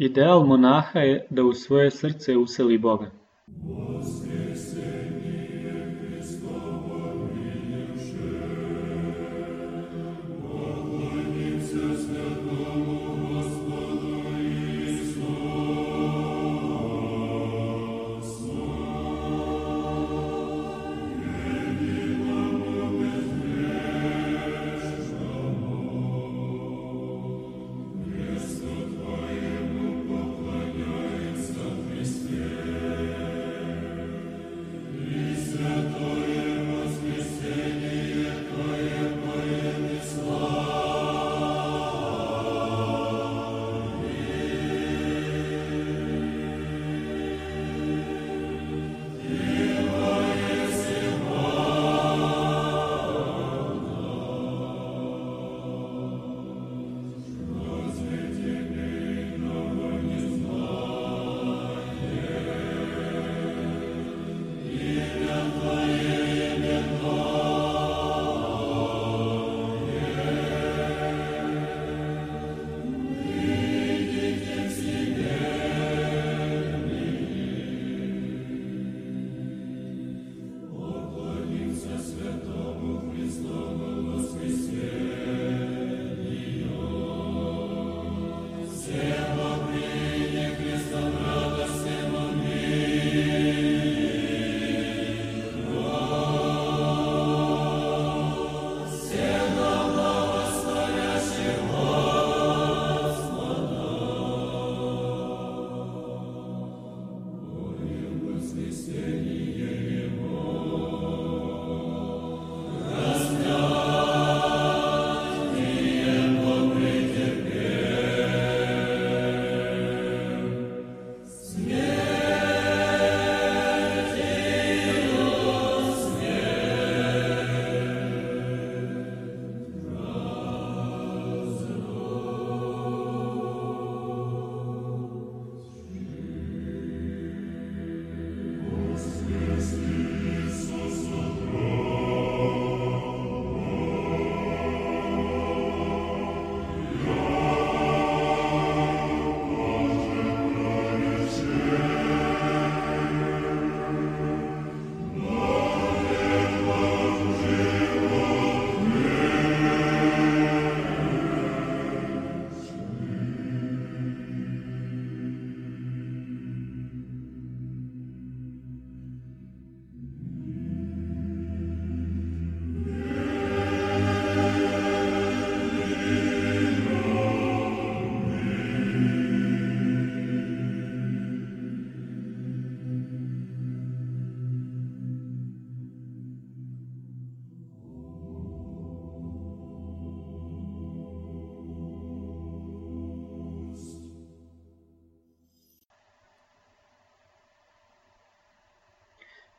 Ideal monaha je da u svoje srce useli Boga.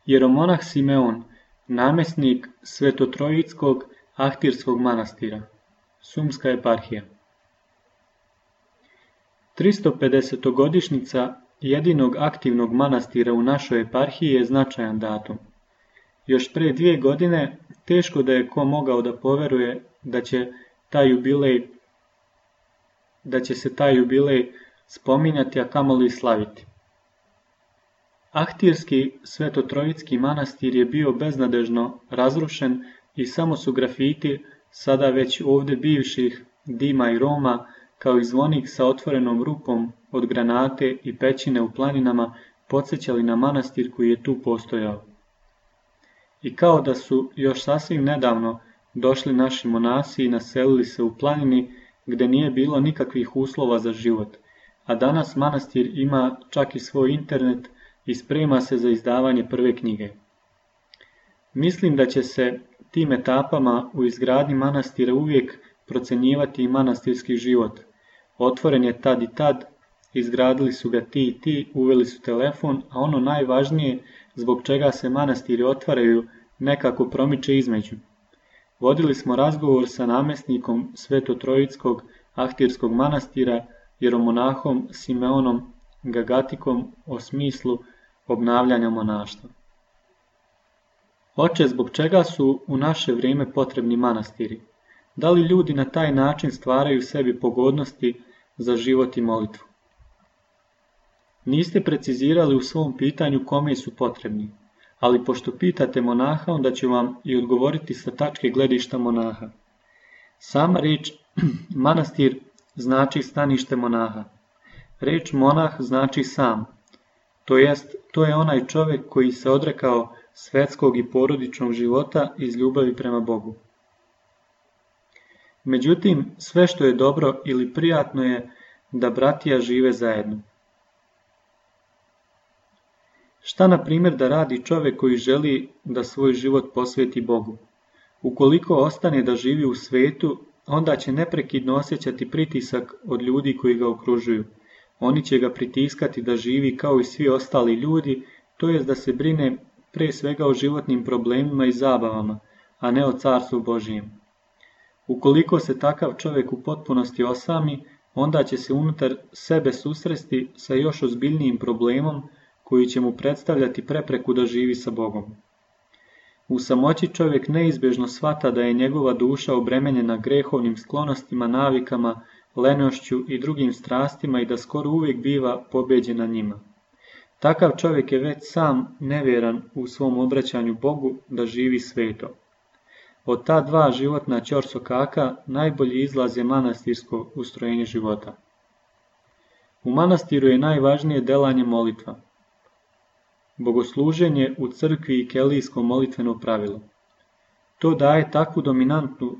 Jeromonah Simeon, namjesnik Svetotrojickog Ahtirskog manastira, Sumska eparhija. 350-godišnjica jedinog aktivnog manastira u našoj eparhiji je značajan datum. Još pre 2 godine teško da je ko mogao da poveruje da će se taj jubilej spominjati, a kamoli slaviti. Ahtirski Svetotrojicki manastir je bio beznadežno razrušen i samo su grafiti sada već ovdje bivših dima i roma kao i zvonik sa otvorenom rupom od granate i pećine u planinama podsjećali na manastir koji je tu postojao. I kao da su još sasvim nedavno došli naši monasi i naselili se u planini gdje nije bilo nikakvih uslova za život, a danas manastir ima čak i svoj internet i sprema se za izdavanje prve knjige. Mislim da će se tim etapama u izgradnji manastira uvijek procenjivati i manastirski život. Otvoren je tad i tad, izgradili su ga ti i ti, uveli su telefon, a ono najvažnije zbog čega se manastiri otvaraju nekako promiče između. Vodili smo razgovor sa namjesnikom Svetotrojickog Ahtirskog manastira, jeromonahom Simeonom Gagatikom o smislu obnavljanja monaštva. Oče, zbog čega su u naše vrijeme potrebni manastiri? Da li ljudi na taj način stvaraju sebi pogodnosti za život i molitvu? Niste precizirali u svom pitanju kome su potrebni, ali pošto pitate monaha, onda ću vam i odgovoriti sa tačke gledišta monaha. Sama riječ manastir znači stanište monaha. Riječ monah znači sam, to jest to je onaj čovjek koji se odrekao svetskog i porodičnog života iz ljubavi prema Bogu. Međutim, sve što je dobro ili prijatno je da bratija žive zajedno. Šta na primjer da radi čovjek koji želi da svoj život posveti Bogu? Ukoliko ostane da živi u svetu, onda će neprekidno osjećati pritisak od ljudi koji ga okružuju. Oni će ga pritiskati da živi kao i svi ostali ljudi, to jest da se brine pre svega o životnim problemima i zabavama, a ne o carstvu Božijem. Ukoliko se takav čovjek u potpunosti osami, onda će se unutar sebe susresti sa još ozbiljnijim problemom koji će mu predstavljati prepreku da živi sa Bogom. U samoći čovjek neizbježno shvata da je njegova duša obremenjena grehovnim sklonostima, navikama, lenošću i drugim strastima i da skoro uvijek biva pobeđena njima. Takav čovjek je već sam nevjeran u svom obraćanju Bogu da živi sveto. Od ta dva životna ćorsokaka najbolji izlaz je manastirsko ustrojenje života. U manastiru je najvažnije delanje molitva. Bogosluženje u crkvi i kelijsko molitveno pravilo. To daje takvu dominantnu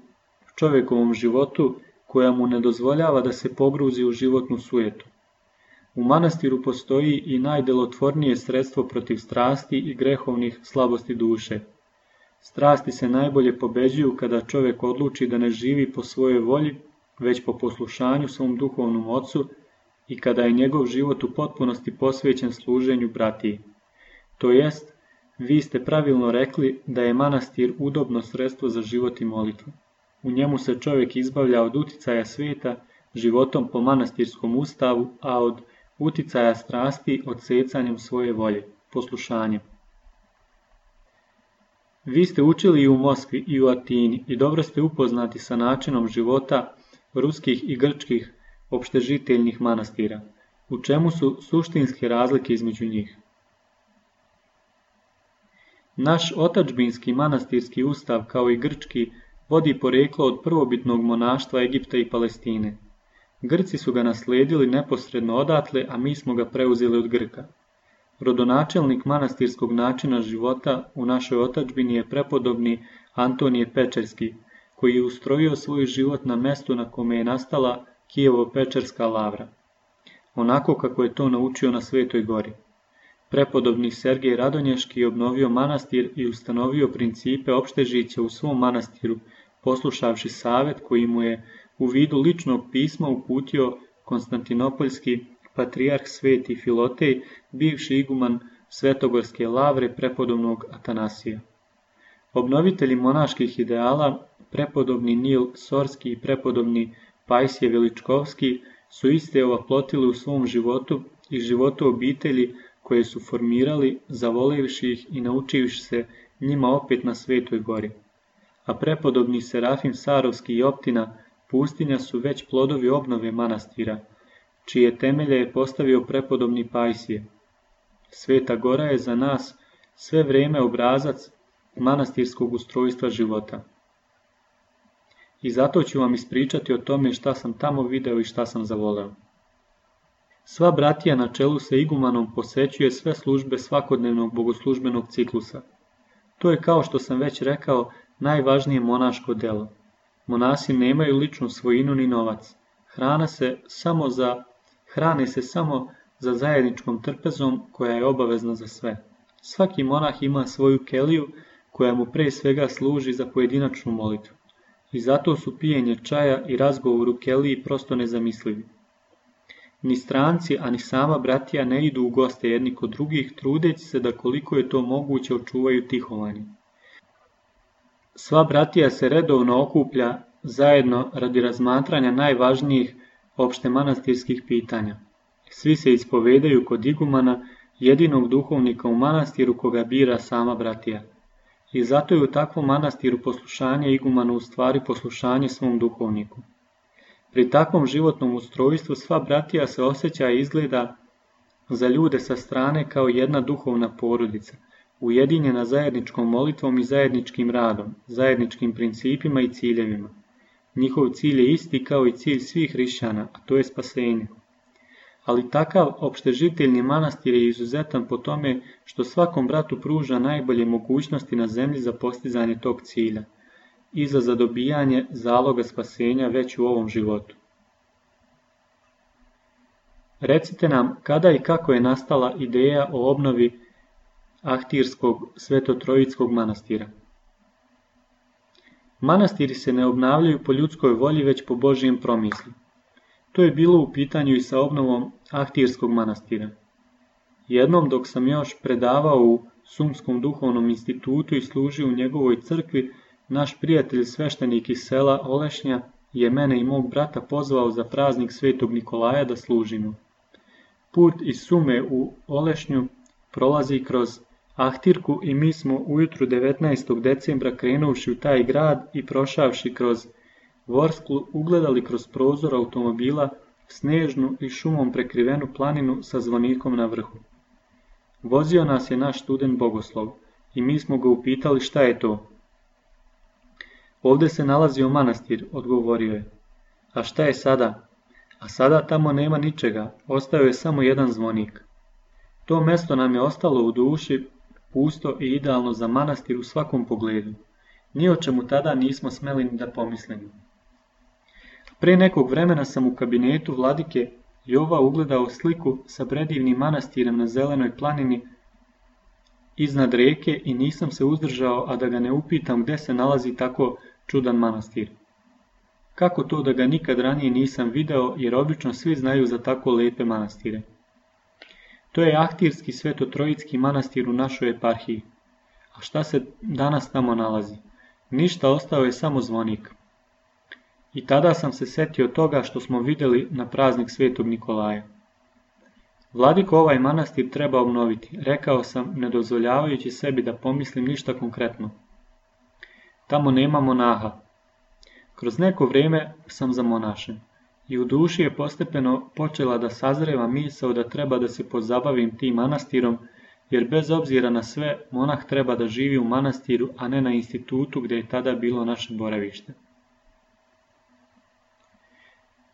čovjekovom životu koja mu ne dozvoljava da se pogruzi u životnu sujetu. U manastiru postoji i najdelotvornije sredstvo protiv strasti i grehovnih slabosti duše. Strasti se najbolje pobeđuju kada čovjek odluči da ne živi po svojoj volji, već po poslušanju svom duhovnom ocu i kada je njegov život u potpunosti posvećen služenju bratiji. To jest, vi ste pravilno rekli da je manastir udobno sredstvo za život i molitvu. U njemu se čovjek izbavlja od uticaja svijeta životom po manastirskom ustavu, a od uticaja strasti odsecanjem svoje volje, poslušanjem. Vi ste učili i u Moskvi i u Atini i dobro ste upoznati sa načinom života ruskih i grčkih opštežiteljnih manastira. U čemu su suštinske razlike između njih? Naš otadžbinski manastirski ustav, kao i grčki, vodi poreklo od prvobitnog monaštva Egipta i Palestine. Grci su ga naslijedili neposredno odatle, a mi smo ga preuzeli od Grka. Rodonačelnik manastirskog načina života u našoj otadžbini je prepodobni Antonije Pečerski, koji je ustrojio svoj život na mestu na kome je nastala Kijevo-Pečerska lavra, onako kako je to naučio na Svetoj gori. Prepodobni Sergej Radonješki je obnovio manastir i ustanovio principe opštežića u svom manastiru, poslušavši savet koji mu je u vidu ličnog pisma uputio konstantinopoljski patrijarh Sveti Filotej, bivši iguman Svetogorske lavre prepodobnog Atanasija. Obnovitelji monaških ideala, prepodobni Nil Sorski i prepodobni Pajsije Veličkovski, su iste ovaplotili u svom životu i životu obitelji koje su formirali, zavolevši ih i naučivši se njima opet na Svetoj gori. A prepodobni Serafim Sarovski i Optina pustinja su već plodovi obnove manastira, čije temelje je postavio prepodobni Pajsije. Sveta gora je za nas sve vrijeme obrazac manastirskog ustrojstva života. I zato ću vam ispričati o tome šta sam tamo video i šta sam zavoleo. Sva bratija na čelu sa igumanom posećuje sve službe svakodnevnog bogoslužbenog ciklusa. To je, kao što sam već rekao, najvažnije monaško delo. Monasi nemaju ličnu svojinu ni novac. Hrane se samo za zajedničkom trpezom koja je obavezna za sve. Svaki monah ima svoju keliju koja mu pre svega služi za pojedinačnu molitvu. I zato su pijenje čaja i razgovor u keliji prosto nezamislivi. Ni stranci, a ni sama bratija ne idu u goste jedni kod drugih, trudeći se da koliko je to moguće očuvaju tihovanje. Sva bratija se redovno okuplja zajedno radi razmatranja najvažnijih opštemanastirskih pitanja. Svi se ispovedaju kod igumana, jedinog duhovnika u manastiru koga bira sama bratija. I zato je u takvom manastiru poslušanje igumana u stvari poslušanje svom duhovniku. Pri takvom životnom ustrojstvu sva bratija se osjeća i izgleda za ljude sa strane kao jedna duhovna porodica, ujedinjena zajedničkom molitvom i zajedničkim radom, zajedničkim principima i ciljevima. Njihov cilj je isti kao i cilj svih hrišćana, a to je spasenje. Ali takav opštežiteljni manastir je izuzetan po tome što svakom bratu pruža najbolje mogućnosti na zemlji za postizanje tog cilja i za zadobijanje zaloga spasenja već u ovom životu. Recite nam kada i kako je nastala ideja o obnovi Ahtirskog Svetotrojickog manastira. Manastiri se ne obnavljaju po ljudskoj volji, već po Božijem promislu. To je bilo u pitanju i sa obnovom Ahtirskog manastira. Jednom dok sam još predavao u Sumskom duhovnom institutu i služio u njegovoj crkvi, naš prijatelj sveštenik iz sela Olešnja je mene i mog brata pozvao za praznik Svetog Nikolaja da služimo. Put iz Sume u Olešnju prolazi kroz Ahtirku i mi smo ujutru 19. decembra krenuvši u taj grad i prošavši kroz Vorsklu ugledali kroz prozor automobila snežnu i šumom prekrivenu planinu sa zvonikom na vrhu. Vozio nas je naš student Bogoslov i mi smo ga upitali šta je to. Ovdje se nalazio manastir, odgovorio je. A šta je sada? A sada tamo nema ničega, ostao je samo jedan zvonik. To mjesto nam je ostalo u duši, pusto i idealno za manastir u svakom pogledu. Ni o čemu tada nismo smeli ni da pomislimo. Pre nekog vremena sam u kabinetu vladike Jova ugledao sliku sa predivnim manastirem na zelenoj planini iznad reke i nisam se uzdržao, a da ga ne upitam gde se nalazi tako čudan manastir. Kako to da ga nikad ranije nisam video, jer obično svi znaju za tako lepe manastire. To je Ahtirski Svetotrojicki manastir u našoj eparhiji. A šta se danas tamo nalazi? Ništa, ostao je samo zvonik. I tada sam se setio toga što smo vidjeli na praznik Svetog Nikolaja. Vladiko, ovaj manastir treba obnoviti, rekao sam, ne dozvoljavajući sebi da pomislim ništa konkretno. Tamo nema monaha. Kroz neko vrijeme sam zamonašen i u duši je postepeno počela da sazreva misao da treba da se pozabavim tim manastirom, jer bez obzira na sve, monah treba da živi u manastiru, a ne na institutu gdje je tada bilo naše boravište.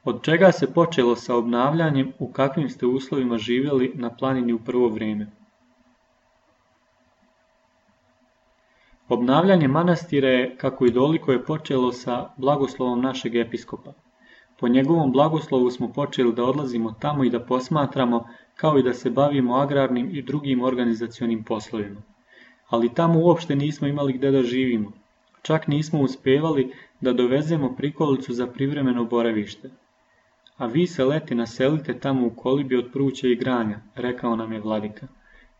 Od čega se počelo sa obnavljanjem, u kakvim ste uslovima živjeli na planini u prvo vrijeme? Obnavljanje manastira je, kako i doliko, je počelo sa blagoslovom našeg episkopa. Po njegovom blagoslovu smo počeli da odlazimo tamo i da posmatramo, kao i da se bavimo agrarnim i drugim organizacionim poslovima. Ali tamo uopšte nismo imali gde da živimo. Čak nismo uspevali da dovezemo prikolicu za privremeno boravište. A vi se leti naselite tamo u kolibi od pruća i granja, rekao nam je vladika.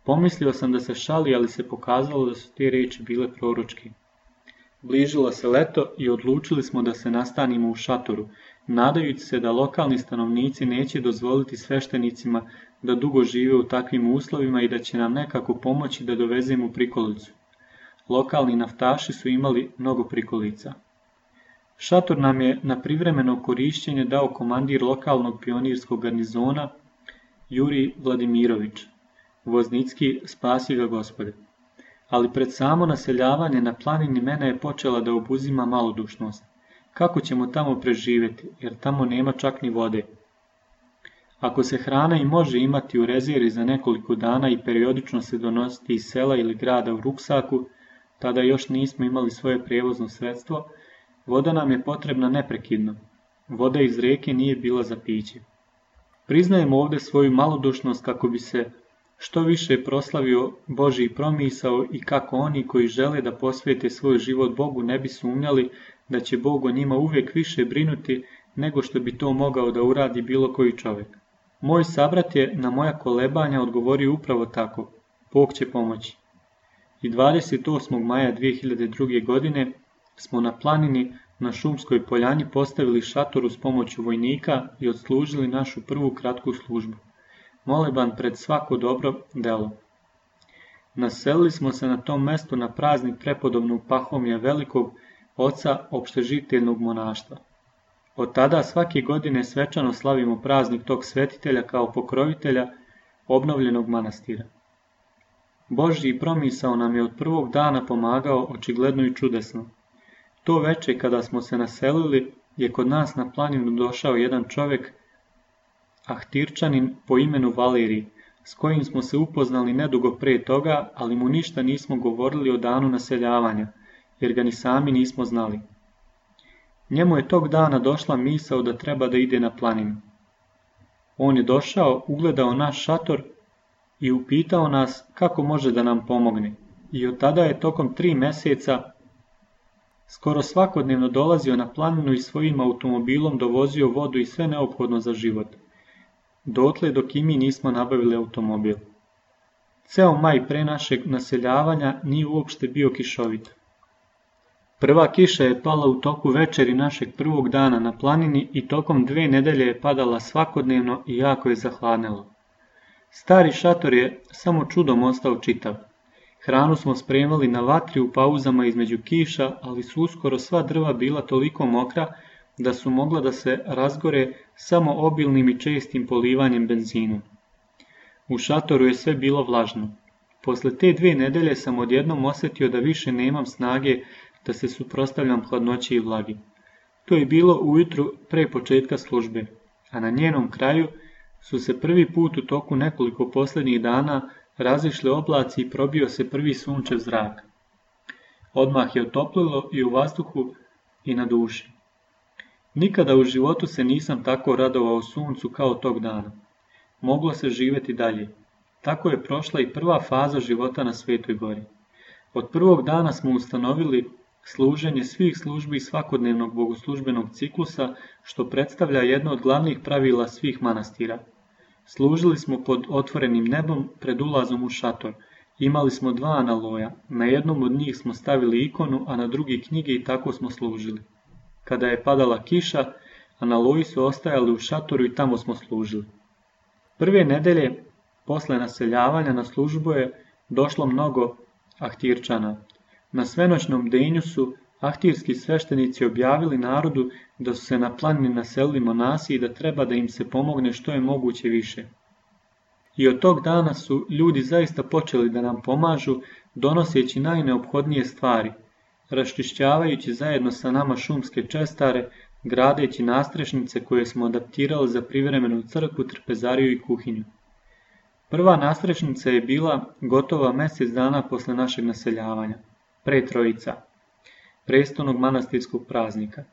Pomislio sam da se šali, ali se pokazalo da su te riječi bile proročke. Bližilo se leto i odlučili smo da se nastanimo u šatoru, nadajući se da lokalni stanovnici neće dozvoliti sveštenicima da dugo žive u takvim uslovima i da će nam nekako pomoći da dovezemo prikolicu. Lokalni naftaši su imali mnogo prikolica. Šator nam je na privremeno korišćenje dao komandir lokalnog pionirskog garnizona Jurij Vladimirović. Voznicki, spasi ga Gospode. Ali pred samo naseljavanje na planini mene je počela da obuzima malodušnost. Kako ćemo tamo preživjeti, jer tamo nema čak ni vode. Ako se hrana i može imati u rezervi za nekoliko dana i periodično se donositi iz sela ili grada u ruksaku, tada još nismo imali svoje prijevozno sredstvo, voda nam je potrebna neprekidno. Voda iz reke nije bila za piće. Priznajemo ovdje svoju malodušnost kako bi se što više proslavio Božji promisao i kako oni koji žele da posvete svoj život Bogu ne bi sumnjali da će Bog o njima uvijek više brinuti nego što bi to mogao da uradi bilo koji čovjek. Moj sabrat je na moja kolebanja odgovorio upravo tako, Bog će pomoći. I 28. maja 2002. godine smo na planini na Šumskoj poljani postavili šator uz pomoću vojnika i odslužili našu prvu kratku službu. Moleban pred svako dobro delo. Naselili smo se na tom mestu na praznik prepodobnog Pahomija Velikog, oca opštežiteljnog monaštva. Od tada svake godine svečano slavimo praznik tog svetitelja kao pokrovitelja obnovljenog manastira. Božji promisao nam je od prvog dana pomagao očigledno i čudesno. To veče kada smo se naselili je kod nas na planinu došao jedan čovjek, Ahtirčanin po imenu Valerij, s kojim smo se upoznali nedugo pre toga, ali mu ništa nismo govorili o danu naseljavanja, jer ga ni sami nismo znali. Njemu je tog dana došla misao da treba da ide na planinu. On je došao, ugledao naš šator i upitao nas kako može da nam pomogne. I od tada je tokom 3 mjeseca skoro svakodnevno dolazio na planinu i svojim automobilom dovozio vodu i sve neophodno za život. Dotle dok i mi nismo nabavili automobil. Ceo maj pre našeg naseljavanja nije uopšte bio kišovit. Prva kiša je pala u toku večeri našeg prvog dana na planini i tokom 2 nedelje je padala svakodnevno i jako je zahladnelo. Stari šator je samo čudom ostao čitav. Hranu smo spremali na vatri u pauzama između kiša, ali su uskoro sva drva bila toliko mokra da su mogla da se razgore samo obilnim i čestim polivanjem benzinom. U šatoru je sve bilo vlažno. Posle te 2 nedelje sam odjednom osjetio da više nemam snage da se suprotstavljam hladnoći i vlagi. To je bilo ujutru pre početka službe, a na njenom kraju su se prvi put u toku nekoliko posljednjih dana razišli oblaci i probio se prvi sunčev zrak. Odmah je otoplilo i u vazduhu i na duši. Nikada u životu se nisam tako radovao suncu kao tog dana. Moglo se živjeti dalje. Tako je prošla i prva faza života na Svetoj gori. Od prvog dana smo ustanovili služenje svih službi svakodnevnog bogoslužbenog ciklusa, što predstavlja jedno od glavnih pravila svih manastira. Služili smo pod otvorenim nebom pred ulazom u šator. Imali smo 2 analoja, na jednom od njih smo stavili ikonu, a na drugi knjige i tako smo služili. Kada je padala kiša, analoji su ostajali u šatoru i tamo smo služili. Prve nedelje posle naseljavanja na službu je došlo mnogo Ahtirčana. Na svenoćnom denju su ahtirski sveštenici objavili narodu da su se na planini naselili monasi i da treba da im se pomogne što je moguće više. I od tog dana su ljudi zaista počeli da nam pomažu, donoseći najneophodnije stvari, raščišćavajući zajedno sa nama šumske čestare, gradeći nastrešnice koje smo adaptirali za privremenu crkvu, trpezariju i kuhinju. Prva nastrešnica je bila gotova mjesec dana posle našeg naseljavanja, pre Trojica, prestolnog manastirskog praznika.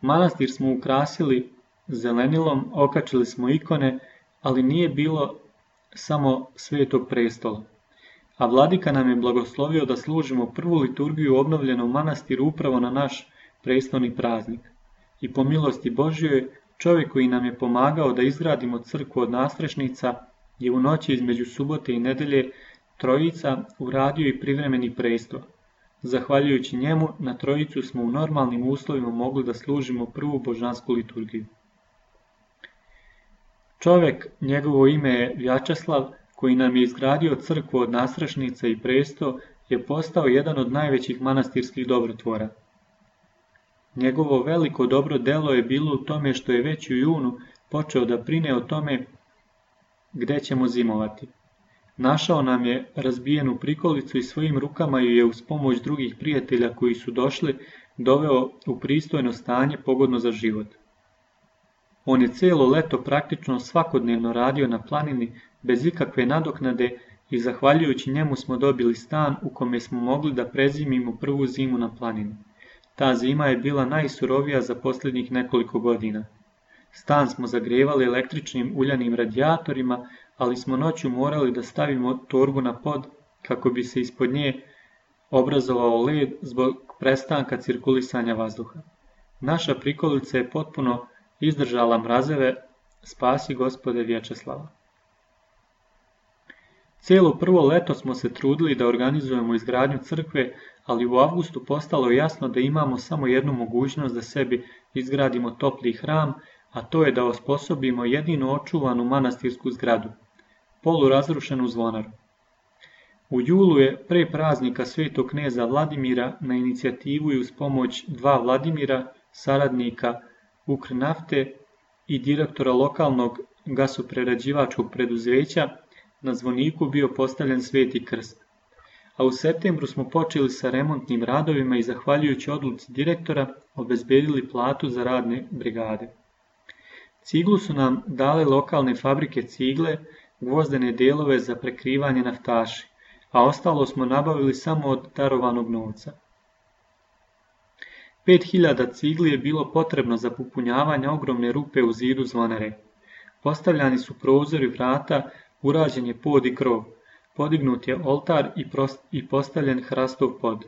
Manastir smo ukrasili zelenilom, okačili smo ikone, ali nije bilo samo Svetog prestola. A vladika nam je blagoslovio da služimo prvu liturgiju u obnovljenom manastiru upravo na naš prestolni praznik. I po milosti Božjoj, čovjek koji nam je pomagao da izgradimo crkvu od nastrešnica je u noći između subote i nedelje Trojica uradio i privremeni prestol. Zahvaljujući njemu, na Trojicu smo u normalnim uslovima mogli da služimo prvu božansku liturgiju. Čovjek, njegovo ime je Vjačeslav, koji nam je izgradio crkvu od nastrešnica i presto, je postao jedan od najvećih manastirskih dobrotvora. Njegovo veliko dobro delo je bilo u tome što je već u junu počeo da brine o tome gde ćemo zimovati. Našao nam je razbijenu prikolicu i svojim rukama ju je uz pomoć drugih prijatelja koji su došli doveo u pristojno stanje pogodno za život. On je cijelo leto praktično svakodnevno radio na planini bez ikakve nadoknade i zahvaljujući njemu smo dobili stan u kome smo mogli da prezimimo prvu zimu na planini. Ta zima je bila najsurovija za posljednjih nekoliko godina. Stan smo zagrevali električnim uljanim radijatorima, ali smo noću morali da stavimo torbu na pod kako bi se ispod nje obrazovao led zbog prestanka cirkulisanja vazduha. Naša prikolica je potpuno izdržala mrazeve, spasi Gospode Vječeslava. Cijelo prvo leto smo se trudili da organizujemo izgradnju crkve, ali u avgustu postalo je jasno da imamo samo jednu mogućnost da sebi izgradimo topli hram, a to je da osposobimo jedino očuvanu manastirsku zgradu, polurazrušenu zvonaru. U julu je pre praznika svetog kneza Vladimira na inicijativu i uz pomoć 2 Vladimira, saradnika Ukrnafte i direktora lokalnog gasoprerađivačkog preduzeća na zvoniku bio postavljen Sveti krst. A u septembru smo počeli sa remontnim radovima i zahvaljujući odluci direktora obezbedili platu za radne brigade. Ciglu su nam dale lokalne fabrike cigle, gvozdene delove za prekrivanje naftaši, a ostalo smo nabavili samo od darovanog novca. 5000 cigli je bilo potrebno za popunjavanje ogromne rupe u zidu zvonare. Postavljani su prozori vrata, urađen je pod i krov, podignut je oltar i postavljen hrastov pod.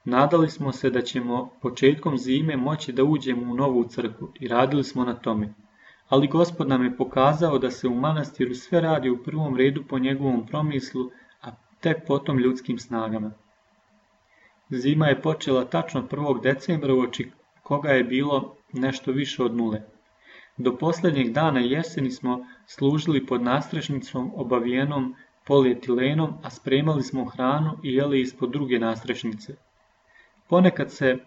Nadali smo se da ćemo početkom zime moći da uđemo u novu crkvu i radili smo na tome. Ali Gospod nam je pokazao da se u manastiru sve radi u prvom redu po njegovom promislu, a tek potom ljudskim snagama. Zima je počela tačno 1. decembra, uoči koga je bilo nešto više od 0. Do posljednjeg dana jeseni smo služili pod nastrešnicom obavijenom polietilenom, a spremali smo hranu i jeli ispod druge nastrešnice. Ponekad se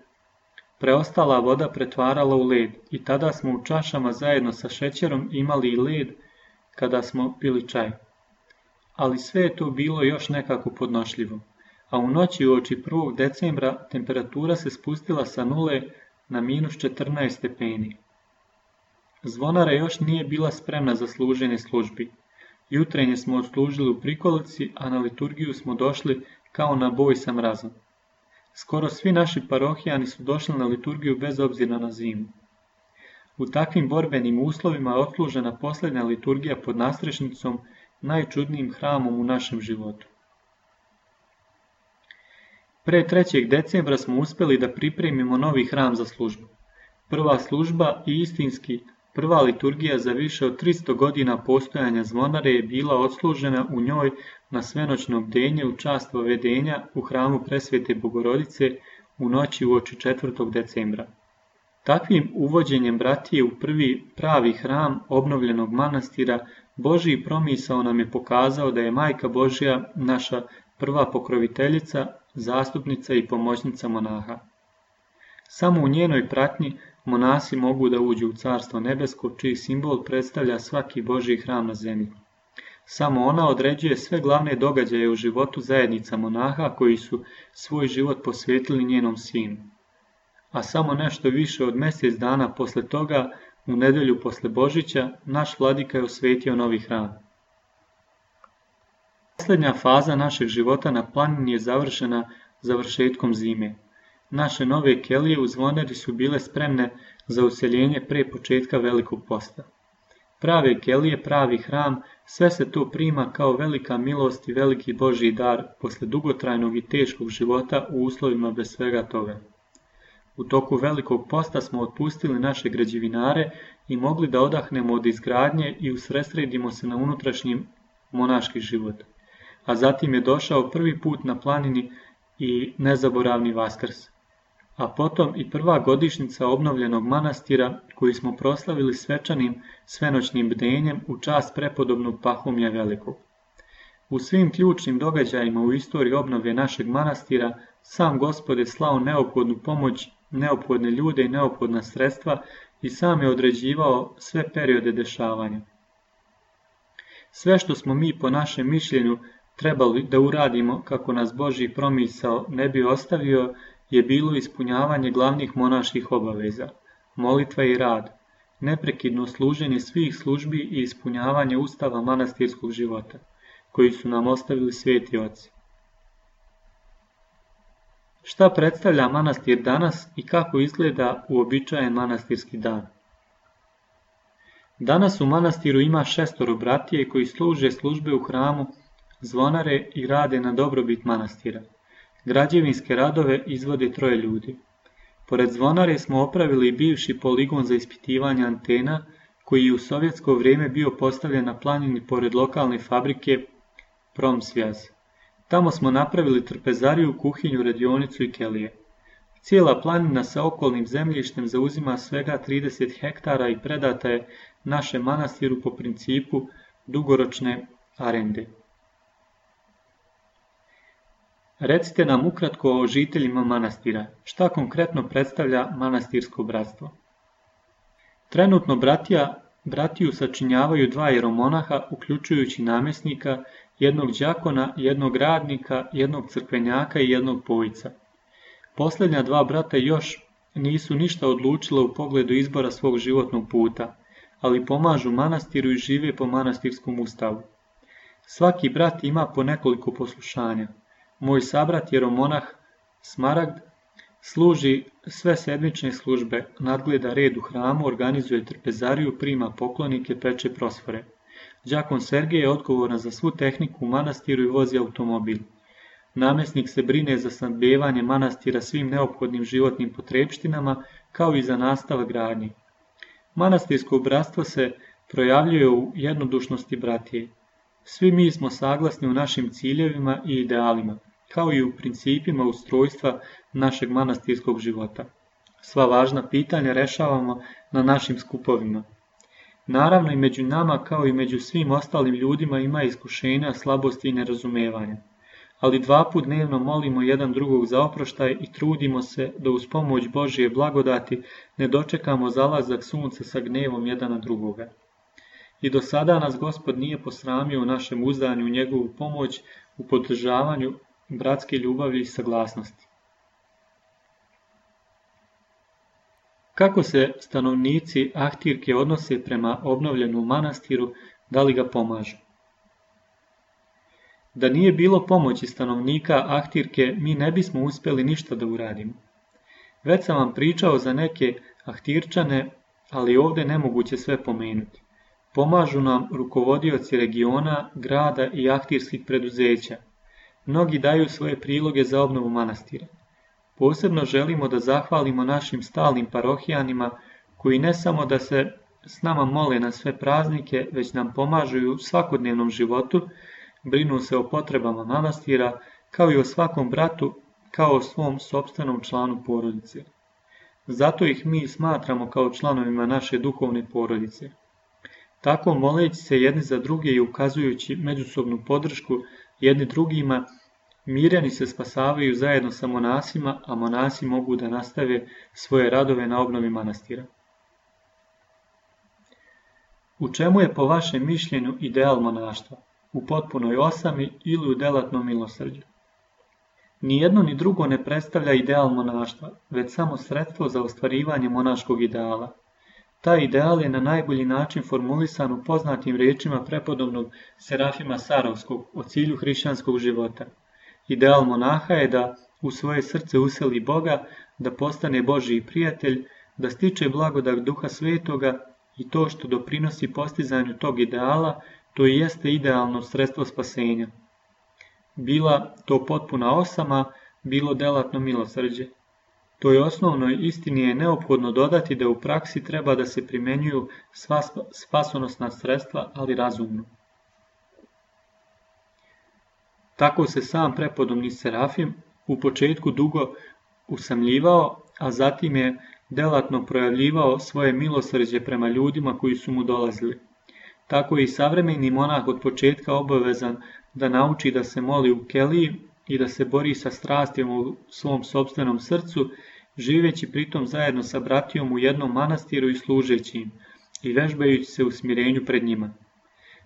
preostala voda pretvarala u led i tada smo u čašama zajedno sa šećerom imali i led kada smo pili čaj. Ali sve je to bilo još nekako podnošljivo, a u noći uoči 1. decembra temperatura se spustila sa 0 na -14 stepeni. Zvonara još nije bila spremna za služenje službi. Jutrenje smo odslužili u prikolici, a na liturgiju smo došli kao na boj sa mrazom. Skoro svi naši parohijani su došli na liturgiju bez obzira na zimu. U takvim borbenim uslovima je odslužena posljednja liturgija pod nastrešnicom, najčudnijim hramom u našem životu. Pre 3. decembra smo uspjeli da pripremimo novi hram za službu. Prva služba i istinski prva liturgija za više od 300 godina postojanja zvonare je bila odslužena u njoj na svenoćno bdenje u čast povedenja u hramu Presvete Bogorodice u noći uoči 4. decembra. Takvim uvođenjem bratije u prvi pravi hram obnovljenog manastira, Božji promisao nam je pokazao da je Majka Božja naša prva pokroviteljica, zastupnica i pomoćnica monaha. Samo u njenoj pratnji monasi mogu da uđu u Carstvo nebesko, čiji simbol predstavlja svaki Božji hram na zemlji. Samo ona određuje sve glavne događaje u životu zajednica monaha koji su svoj život posvetili njenom sinu. A samo nešto više od mjesec dana posle toga, u nedelju posle Božića, naš vladika je osvetio novi hram. Posljednja faza našeg života na planini je završena završetkom zime. Naše nove kelije u zvonari su bile spremne za useljenje pre početka Velikog posta. Prave kelije, pravi hram, sve se to prima kao velika milost i veliki Božji dar posle dugotrajnog i teškog života u uslovima bez svega toga. U toku Velikog posta smo otpustili naše građevinare i mogli da odahnemo od izgradnje i usredsredimo se na unutrašnji monaški život. A zatim je došao prvi put na planini i nezaboravni Vaskrs. A potom i prva godišnjica obnovljenog manastira koji smo proslavili svečanim svenoćnim bdenjem u čast prepodobnog Pahomija Velikog. U svim ključnim događajima u istoriji obnove našeg manastira sam Gospod je slao neophodnu pomoć, neophodne ljude i neophodna sredstva i sam je određivao sve periode dešavanja. Sve što smo mi po našem mišljenju trebali da uradimo kako nas Božji promisao ne bi ostavio je bilo ispunjavanje glavnih monaških obaveza, molitva i rad, neprekidno služenje svih službi i ispunjavanje ustava manastirskog života, koji su nam ostavili sveti oci. Šta predstavlja manastir danas i kako izgleda uobičajen manastirski dan? Danas u manastiru ima 6 bratije koji služe službe u hramu, zvonare i rade na dobrobit manastira. Građevinske radove izvode 3 ljudi. Pored zvonare smo opravili i bivši poligon za ispitivanje antena, koji je u sovjetsko vrijeme bio postavljen na planini pored lokalne fabrike Promsvjaz. Tamo smo napravili trpezariju, kuhinju, radionicu i kelije. Cijela planina sa okolnim zemljištem zauzima svega 30 hektara i predata je našem manastiru po principu dugoročne arende. Recite nam ukratko o žiteljima manastira. Šta konkretno predstavlja manastirsko bratstvo? Trenutno bratiju sačinjavaju 2 jeromonaha, uključujući namjesnika, jednog đakona, jednog radnika, jednog crkvenjaka i jednog pojica. Posljednja 2 brata još nisu ništa odlučila u pogledu izbora svog životnog puta, ali pomažu manastiru i žive po manastirskom ustavu. Svaki brat ima po nekoliko poslušanja. Moj sabrat jeromonah Smaragd služi sve sedmične službe, nadgleda red u hramu, organizuje trpezariju, prima poklonike, peče prosfore. Đakon Sergej je odgovoran za svu tehniku u manastiru i vozi automobil. Namjesnik se brine za snabdijevanje manastira svim neophodnim životnim potrepštinama, kao i za nastavak gradnje. Manastirsko bratstvo se projavljuje u jednodušnosti bratije. Svi mi smo saglasni u našim ciljevima i idealima, kao i u principima ustrojstva našeg manastirskog života. Sva važna pitanja rešavamo na našim skupovima. Naravno i među nama, kao i među svim ostalim ljudima, ima iskušenja, slabosti i nerazumevanja. Ali 2 puta dnevno molimo jedan drugog za oproštaj i trudimo se da uz pomoć Božje blagodati ne dočekamo zalazak sunca sa gnevom jedan na drugoga. I do sada nas Gospod nije posramio u našem uzdanju u njegovu pomoć u podržavanju bratske ljubavi i saglasnosti. Kako se stanovnici Ahtirke odnose prema obnovljenom manastiru, da li ga pomažu? Da nije bilo pomoći stanovnika Ahtirke, mi ne bismo uspjeli ništa da uradimo. Već sam vam pričao za neke Ahtirčane, ali ovdje nemoguće sve pomenuti. Pomažu nam rukovodioci regiona, grada i ahtirskih preduzeća. Mnogi daju svoje priloge za obnovu manastira. Posebno želimo da zahvalimo našim stalnim parohijanima, koji ne samo da se s nama mole na sve praznike, već nam pomažu i u svakodnevnom životu, brinu se o potrebama manastira, kao i o svakom bratu, kao o svom sopstvenom članu porodice. Zato ih mi smatramo kao članovima naše duhovne porodice. Tako moleći se jedni za druge i ukazujući međusobnu podršku jedni drugima, mirjani se spasavaju zajedno sa monasima, a monasi mogu da nastave svoje radove na obnovi manastira. U čemu je po vašem mišljenju ideal monaštva? U potpunoj osami ili u delatnom milosrđu? Ni jedno ni drugo ne predstavlja ideal monaštva, već samo sredstvo za ostvarivanje monaškog ideala. Taj ideal je na najbolji način formulisan u poznatim riječima prepodobnog Serafima Sarovskog o cilju hrišćanskog života. Ideal monaha je da u svoje srce useli Boga, da postane Božji prijatelj, da stiče blagodat Duha Svetoga i to što doprinosi postizanju tog ideala, to i jeste idealno sredstvo spasenja. Bila to potpuna osama, bilo delatno milosrđe. Toj osnovnoj istini je neophodno dodati da u praksi treba da se primenjuju sva spasonosna sredstva, ali razumno. Tako se sam prepodobni Serafim u početku dugo usamljivao, a zatim je delatno projavljivao svoje milosrđe prema ljudima koji su mu dolazili. Tako je i savremeni monah od početka obavezan da nauči da se moli u keliji i da se bori sa strastima u svom sopstvenom srcu, živeći pritom zajedno sa bratijom u jednom manastiru i služeći im, i vežbajući se u smirenju pred njima.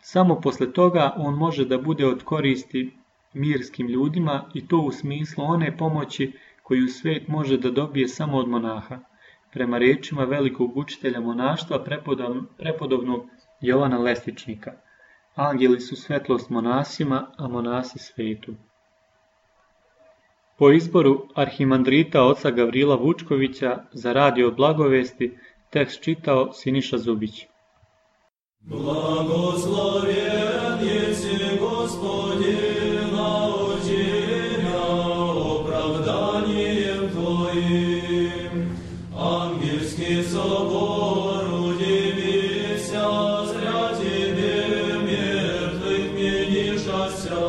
Samo posle toga on može da bude od koristi mirskim ljudima i to u smislu one pomoći koju svet može da dobije samo od monaha, prema rečima velikog učitelja monaštva prepodobnog Jovana Lestičnika. Angeli su svetlost monasima, a monasi svetu. Po izboru arhimandrita oca Gavrila Vučkovića za Radio Blagovesti tekst čitao Siniša Zubić. Blagoslovjen jesi Gospodin, naučenja opravdanjem Tvojim. Angelski собор удивися, зря Тебе мертвых менишася,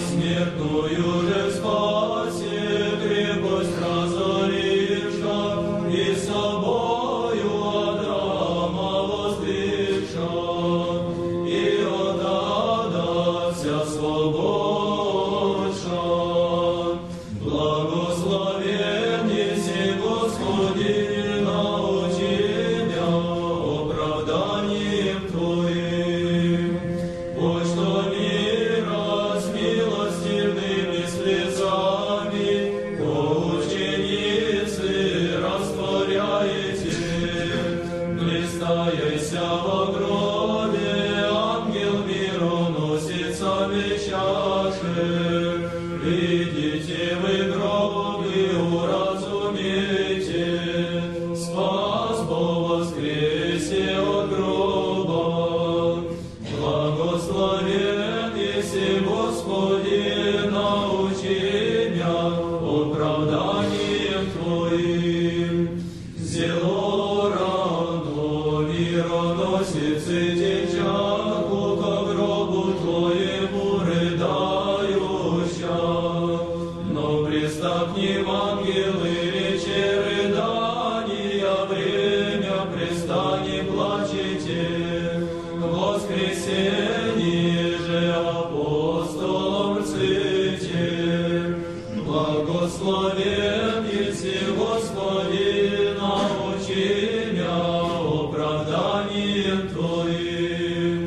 смертную же спаси крепость разоривша, и собою Адрама воздвигша, и отдадся свободу. во гробе, ангел мироносицами чаши. Идите вы гроб и уразумейте, спас по воскресе от гроба. Благословен еси Господи, научи меня оправданием Твоим. Зело рано мироносицы течаку ко гробу Твоему рыдающа. Но пристакни в ангелы речи рыдания, время пристани плачете. Воскресенье же апостолом рците. Благословен еси Господи, научи меня оправданием Твоим.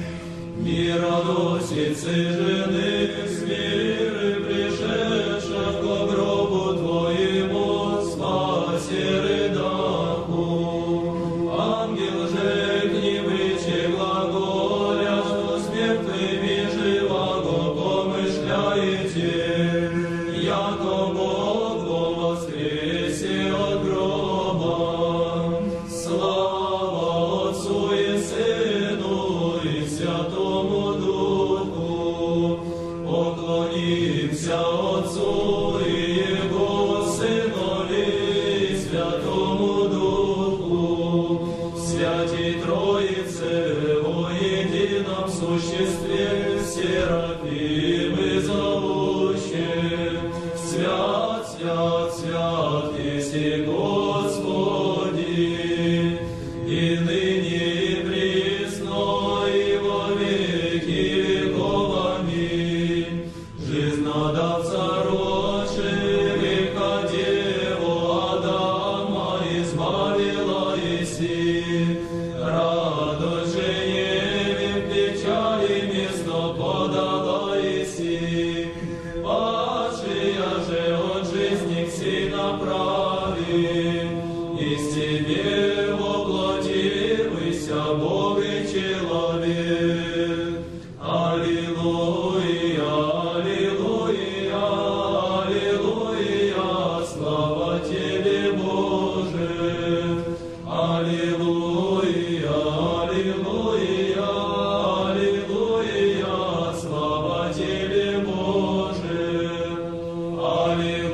Мироносицы жены с миры пришедших ко гробу Твоему, спаси рыдаку. Ангел же к ним речи глаголя, что с мертвыми живаго помышляете, яко Бог во воскресе от гроба. Слава Отцу и Сыну и Святому Духу. Поклонимся Отцу и Его Сынові и Святому Духу, Святій Троице во едином существе, серафимы зовущие. Свят, свят, свят еси Господи, и ныне и присно и во веки веков. Аминь. Жизнодавца рочи, греха Деву Адама избавила еси. Радость же Еве в печали место подала еси. Падшая же от жизни к си направи, из тебе воплотивайся, Бог и человек. Аллилуйя, аллилуйя, аллилуйя, слава Тебе, Боже. Аллилуйя, аллилуйя, аллилуйя, слава Тебе, Боже. Аллилуйя.